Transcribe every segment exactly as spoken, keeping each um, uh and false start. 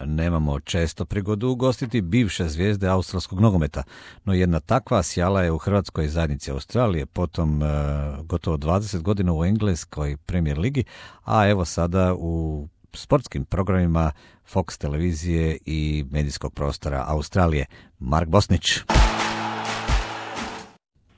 nemamo često prigodu ugostiti bivše zvijezde australskog nogometa, no jedna takva sjala je u hrvatskoj zajednici Australije, potom uh, gotovo dvadeset godina u engleskoj Premier ligi, a evo sada u sportskim programima Fox televizije i medijskog prostora Australije. Mark Bosnić.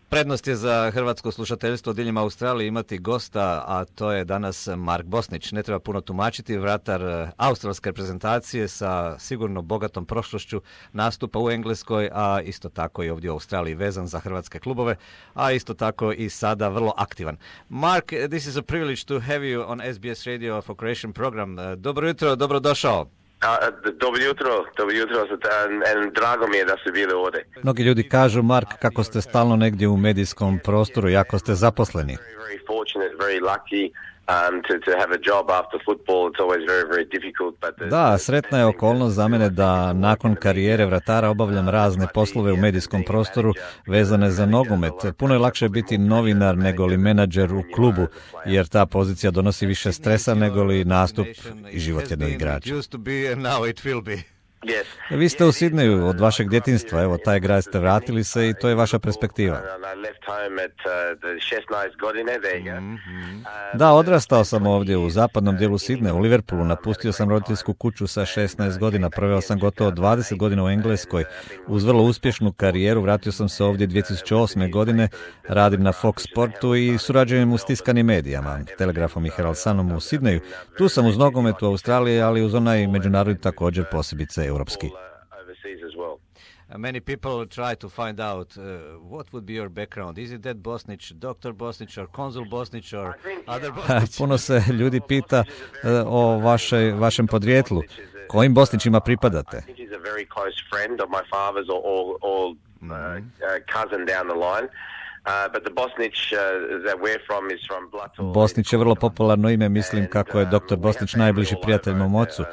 Prednost je za hrvatsko slušateljstvo diljem Australije imati gosta, a to je danas Mark Bosnić. Ne treba puno tumačiti, vratar australske reprezentacije sa sigurno bogatom prošlošću nastupa u Engleskoj, a isto tako i ovdje u Australiji vezan za hrvatske klubove, a isto tako i sada vrlo aktivan. Mark, this is a privilege to have you on S B S Radio for Croatian program. Dobro jutro, dobrodošao. A, dobro jutro, dobro jutro, and drago mi je da ste bili ovdje. Mnogi ljudi kažu, Mark, kako ste stalno negdje u medijskom prostoru, jako ste zaposleni. Very, very fortunate, very lucky. Um, to, to have a job after football, it's always very, very difficult. But da, sretna je okolnost za mene da nakon karijere vratara obavljam razne poslove u medijskom prostoru vezane za nogomet. Puno je lakše biti novinar nego li menadžer u klubu, jer ta pozicija donosi više stresa nego li nastup i život jednog igrača. Yes. Vi ste u Sidneju od vašeg djetinjstva, evo taj grad ste vratili se i to je vaša perspektiva. Da, odrastao sam ovdje u zapadnom dijelu Sidneja, u Liverpoolu, napustio sam roditeljsku kuću sa šesnaest godina, proveo sam gotovo dvadeset godina u Engleskoj, uz vrlo uspješnu karijeru, vratio sam se ovdje dvije tisuće osme godine, radim na Fox Sportu i surađujem u stiskanim medijama, Telegrafom i Herald Sunom u Sidneju. Tu sam uz nogomet u Australiji, ali uz onaj međunarodni također posebice europski. Many people try to find out uh, what would be your background. Is it that Bosnić, doktor Bosnić, or konzul Bosnić, or other Bosnić? Puno se ljudi pita uh, o vaše, vašem podrijetlu. Kojim Bosnićima pripadate? I think he's a very close friend of my father's or, or, or uh, uh, cousin down the line. Uh, but the Bosnić uh, that we're from is from Blato. Bosnić je vrlo popularno ime, mislim kako je doktor Bosnić najbliži prijatelj mom ocu.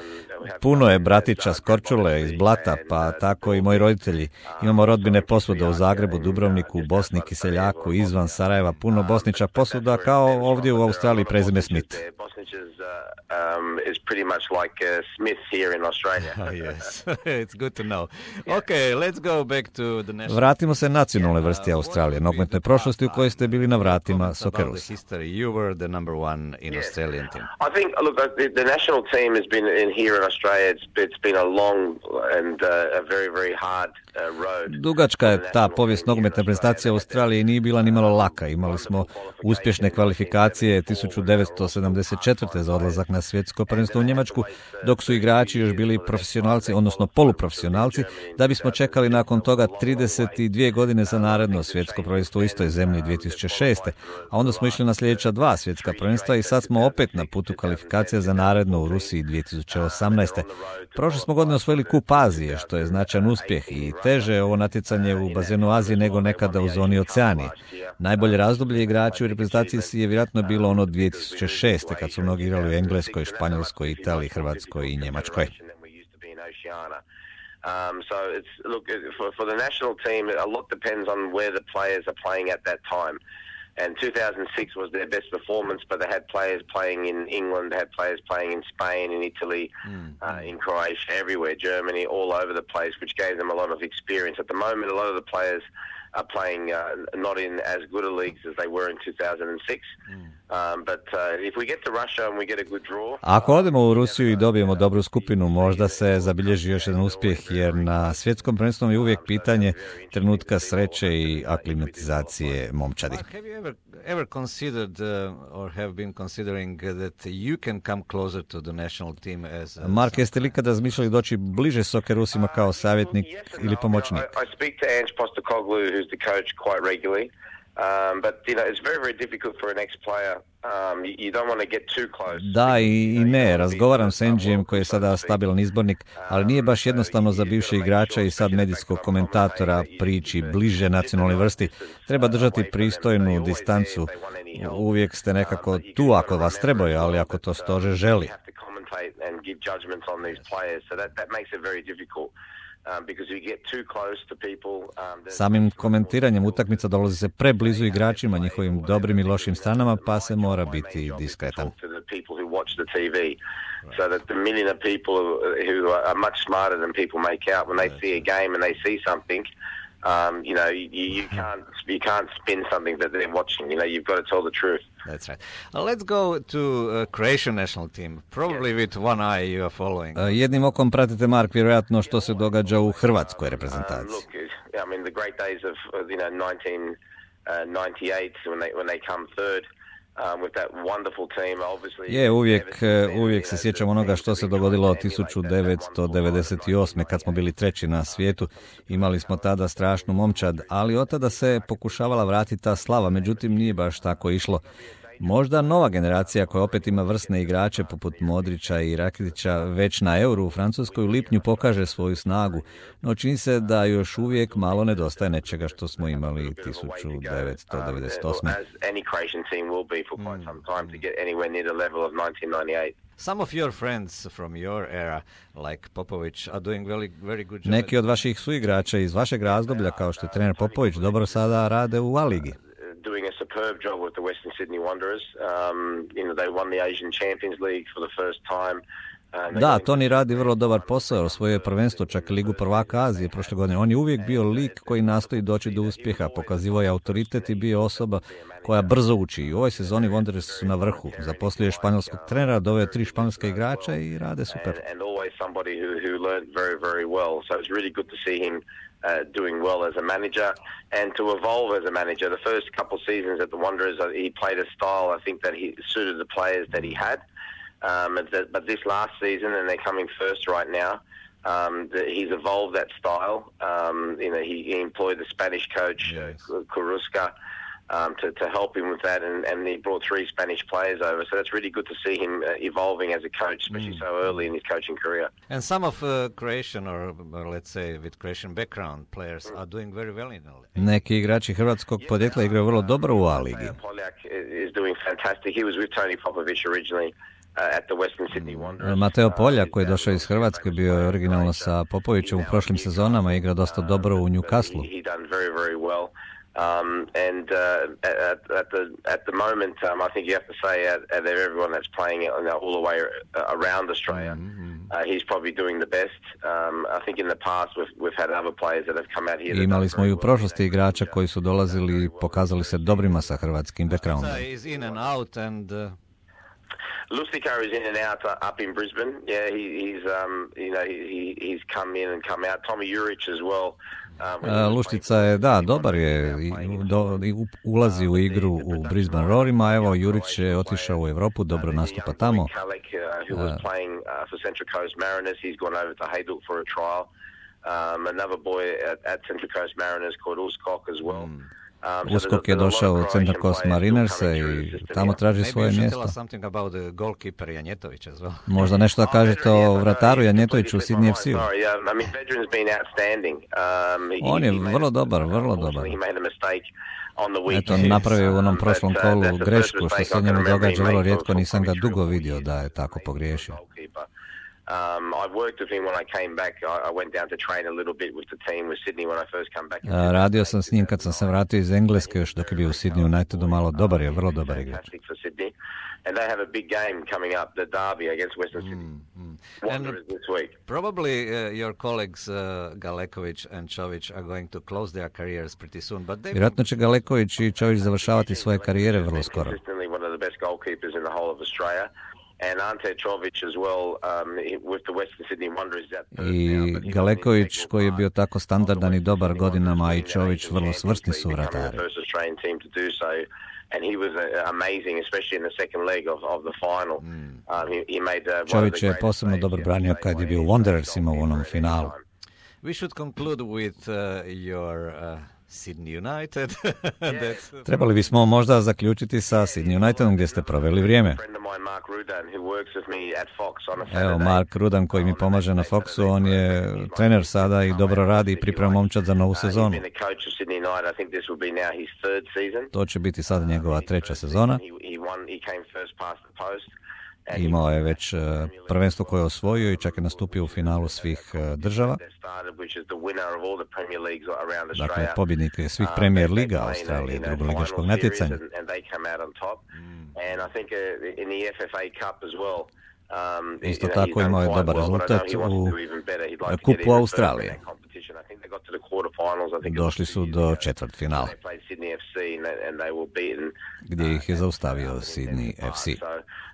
Puno je bratića s Korčule, iz Blata, pa tako i moji roditelji. Imamo rodbine posvuda u Zagrebu, Dubrovniku, Bosni, Kiseljaku, izvan Sarajeva, puno Bosnića posvuda kao ovdje u Australiji prezime Smith. Um, is pretty much like uh, Smith here in Australia. Oh, yes. It's good to know. Okay, let's go back to the national... Vratimo se nacionalnoj vrsti Australije, nogometnoj prošlosti u kojoj ste bili na vratima Socceroos. You were the number one in Australian team. I think, look, the, the national team has been in here in Australia. It's, it's been a long and uh, a very, very hard uh, road. Dugačka je ta povijest nogometne reprezentacije Australije i nije bila ni malo laka. Imali smo uspješne kvalifikacije tisuću devetsto sedamdeset četvrte za odlazak na svjetsko prvenstvo u Njemačku, dok su igrači još bili profesionalci, odnosno poluprofesionalci, da bismo čekali nakon toga trideset dvije godine za naredno svjetsko prvenstvo u istoj zemlji dvije tisuće šeste. A onda smo išli na sljedeća dva svjetska prvenstva i sad smo opet na putu kvalifikacija za naredno u Rusiji dvije tisuće osamnaeste. Prošle smo godine osvojili kup Azije, što je značajan uspjeh i teže je ovo natjecanje u bazenu Azije nego nekada u zoni Oceanije. Najbolje razdoblje igrači u reprezentaciji je vjerojatno bilo ono dvije tisuće šeste kad su mnogi igrali u Engleskoj, Španjolskoj, Italiji, Hrvatskoj i Njemačkoj. Um, so it's look for, for the national team, a lot depends on where the players are playing at that time. And two thousand six was their best performance, but they had players playing in England, they had players playing in Spain, in Italy, mm. uh, in Croatia, everywhere, Germany, all over the place, which gave them a lot of experience. At the moment, a lot of the players are playing uh, not in as good a leagues as they were in two thousand six. Mm. Um, but uh, if we get to Russia and we get a good draw... Ako odemo u Rusiju i dobijemo dobru skupinu, možda se zabilježi još jedan uspjeh, jer na svjetskom prvenstvu je uvijek pitanje trenutka sreće i aklimatizacije momčadi. Have you ever, ever considered uh, or have been considering that you can come closer to the national team as... Uh, Mark, jeste li kada razmišljali doći bliže Socceroosima kao savjetnik ili pomoćnik? I, I speak to Ange Postecoglou, who's the coach, quite regularly. Um, but you know it's very very difficult for an ex-player. Um, you, you don't want to get too close. Da i, i ne, razgovaram s Angijem koji je sada stabilan izbornik, ali nije baš jednostavno za bivše igrača i sad medijskog komentatora prići bliže nacionalnoj vrsti. Treba držati pristojnu distancu. Uvijek ste nekako tu ako vas trebaju, ali ako to stožer želi. Samim komentiranjem utakmica dolazi se preblizu igračima, njihovim dobrim i lošim stranama, pa se mora biti diskretan. So that the million of people who are much smarter than people make out when they see a game and they see something, um, you know, you, you can't you can't spin something that they're watching. You know, you've got to tell the truth. That's right. Uh, let's go to uh, Croatian national team. Probably yes. With one eye you are following. Uh, jednim okom pratite, Mark, vjerojatno što se događa u hrvatskoj reprezentaciji. Uh, look, I mean, the great days of you know nineteen ninety-eight when they when they come third. Um, with that wonderful team, obviously. Je, uvijek, uvijek se sjećam onoga što se dogodilo tisuću devetsto devedeset osme kad smo bili treći na svijetu. Imali smo tada strašnu momčad, ali od tada se pokušavala vratiti ta slava, međutim nije baš tako išlo. Možda nova generacija koja opet ima vrsne igrače poput Modrića i Rakitića već na Euru u Francuskoj u lipnju pokaže svoju snagu, no čini se da još uvijek malo nedostaje nečega što smo imali tisuću devetsto devedeset osme. Some of your friends from your era, like Popović, are doing very, very good job. Neki od vaših suigrača iz vašeg razdoblja, kao što je trener Popović, dobro sada rade u A-ligi. Doing a superb job with the Western Sydney Wanderers. Um, you know, they won the Asian Champions League for the first time. Da, Toni radi vrlo dobar posao, osvojio je prvenstvo, čak i Ligu prvaka Azije prošle godine. On je uvijek bio lik koji nastoji doći do uspjeha, pokazivao je autoritet i bio osoba koja brzo uči. I u ovoj sezoni Wanderers su na vrhu. Zaposlio je španjolskog trenera, doveo tri španjolska igrača i rade super. And always somebody who who learned very very well. So it's really good to see him Uh, doing well as a manager and to evolve as a manager. The first couple seasons at the Wanderers, uh, he played a style I think that he suited the players that he had. Um, that, but this last season, and they're coming first right now, um, the, he's evolved that style. Um, you know, he, he employed the Spanish coach, yes. uh, Corusca, Um, to, to help him with that, and, and he brought three Spanish players over. So that's really good to see him uh, evolving as a coach, especially mm. so early in his coaching career. And some of uh, Croatian, or, or let's say with Croatian background players, are doing very well in the league. Neki igrači hrvatskog podjekla igraju vrlo dobro u A-ligi. Poljak is doing fantastic. He was with Tony Popović originally. At the Western Sydney Wanderers. Mateo Poljak, koji je došao iz Hrvatske, bio je originalno sa Popovićem u prošlim sezonama i igra dosta dobro u Newcastle. He done very very well. Um, and uh, at, at the at the moment, um, I think you have to say out, out of everyone that's playing you know, all the way around Australia, mm-hmm. uh, he's probably doing the best. Um, I think in the past we've we've had other players that have come out here. Imali smo i u prošlosti igrača koji su dolazili i pokazali se dobrima sa hrvatskim backgroundom. Lustica is in and out uh, up in Brisbane. Yeah, he, he's um, you know he, he's come in and come out. Tommy Juric as well. Um, Luštica je, da, dobar je, do, ulazi u igru u Brisbane Roarima, evo Jurić je otišao u Europu, dobro nastupa tamo. Uh, um, another boy at, at Central Coast Mariners called Uskok as well. Mm. Um, Uskok je došao u Central Coast Mariners i tamo traži svoje mjesto. Možda nešto da kažete o vrataru Janjetoviću u Sydney F C-u. On je vrlo dobar, vrlo dobar. Eto, napravio u onom prošlom kolu grešku, što se njemu događa vrlo rijetko, nisam ga dugo vidio da je tako pogriješio. Um, I worked with him when I came back. I, I went down to train a little bit with the team with Sydney when I first came back. Uh, radio sam s njim kad sam se vratio iz Engleske, još dok je bio u Sydney Unitedu, malo dobar je, vrlo dobar igrač. And they have a big game coming up, the derby against Western Sydney. Mm, mm. Wanderers this week. Probably uh, your colleagues uh, Galeković and Čović are going to close their careers pretty soon, but they Vjerojatno će Galeković i Čović završavati svoje karijere vrlo skoro. Consistently one of the best goalkeepers in the whole of Australia. And Ante Čović as well um, with the Western Sydney Wanderers. I Galeković koji je bio tako standardan i dobar godinama, i Čović vrlo svrsni su vratari. And he was uh, amazing, especially in the second leg of, of the final. Mm. Um, he, he made, uh, Čović je posebno dobro branio kad je bio u Wanderersima u onom finalu. We should conclude with uh, your uh, Sydney United. Trebali bismo možda zaključiti sa Sydney Unitedom gdje ste proveli vrijeme. Evo, Mark Rudan koji mi pomaže na Foxu, on je trener sada i dobro radi i priprema momčad za novu sezonu. To će biti sada njegova treća sezona. Imao je već prvenstvo koje je osvojio i čak je nastupio u finalu svih država. Dakle, pobjednik je svih Premier Liga Australije, drugoligaškog natjecanja. Isto tako imao je dobar rezultat u Kupu Australije. Došli su do četvrtfinala, gdje ih je zaustavio Sydney F C.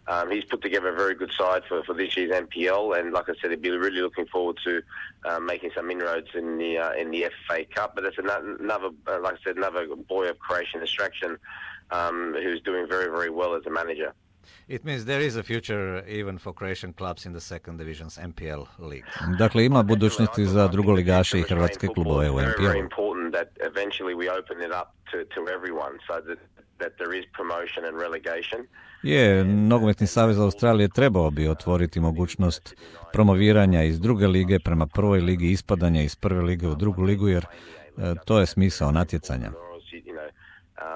Um, he's put together a very good side for, for this year's M P L, and like I said, he'd be really looking forward to uh, making some inroads in the uh, in the F A Cup. But it's another, uh, like I said, another boy of Croatian extraction um, who's doing very, very well as a manager. It means there is a future even for Croatian clubs in the second division's M P L league. Dakle, ima budućnosti za drugoligaše i hrvatske klubove u M P L. Very important that eventually we open it up to to everyone, so that that there is promotion and relegation. Je, Nogometni savez Australije trebao bi otvoriti mogućnost promoviranja iz druge lige prema prvoj ligi, ispadanja iz prve lige u drugu ligu, jer e, to je smisao natjecanja.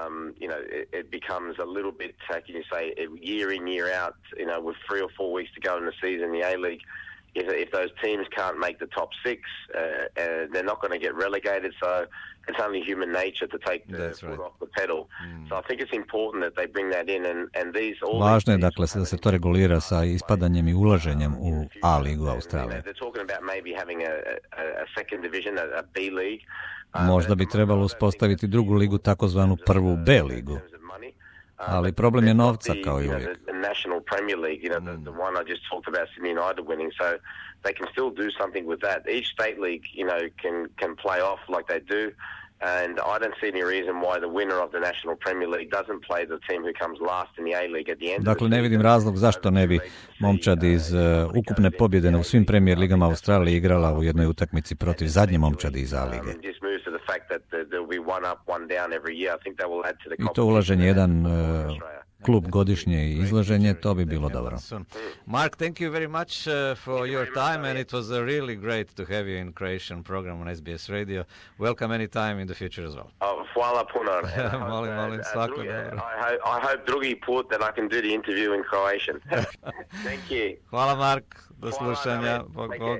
Um, you know, it, it becomes a little bit, how can you say, year in, year out, you know, with three or four weeks to go in the season, the A-League, if, if those teams can't make the top six, uh, uh, they're not going to get relegated, so it's only human nature to take the That's foot right. off the pedal. Mm. So I think it's important that they bring that in, and, and these... All Važno je, these dakle, da se to regulira sa ispadanjem i ulaženjem u A-ligu Australije. They're talking about maybe having a, a, a second division, a, a B league. Možda bi trebalo uspostaviti drugu ligu, takozvanu prvu B ligu. Ali problem je novca, kao i uvijek. National Premier League, you know, the, the one I just talked about, Sydney United winning, so they can still do something with that. Each state league, you know, can can play off like they do, and I don't see any reason why the winner of the National Premier League doesn't play the team who comes last in the A League at the end. Dakle, ne vidim razlog zašto ne bi momčad iz uh, ukupne pobjede u svim Premier ligama Australije igrala u jednoj utakmici protiv zadnje momčadi iz A lige. I to ulaženje jedan uh, klub godišnje i izlaženje, to bi bilo dobro. Mark, thank you very much uh, for your time, and it was uh, really great to have you in Croatian program on S B S Radio. Welcome anytime in the future as well. Oh, hvala puno. Molim, molim, svako dobro. I hope, I hope drugi put that I can do the interview in Croatian. Thank you. Hvala, Mark. Do slušanja. Bog, bog.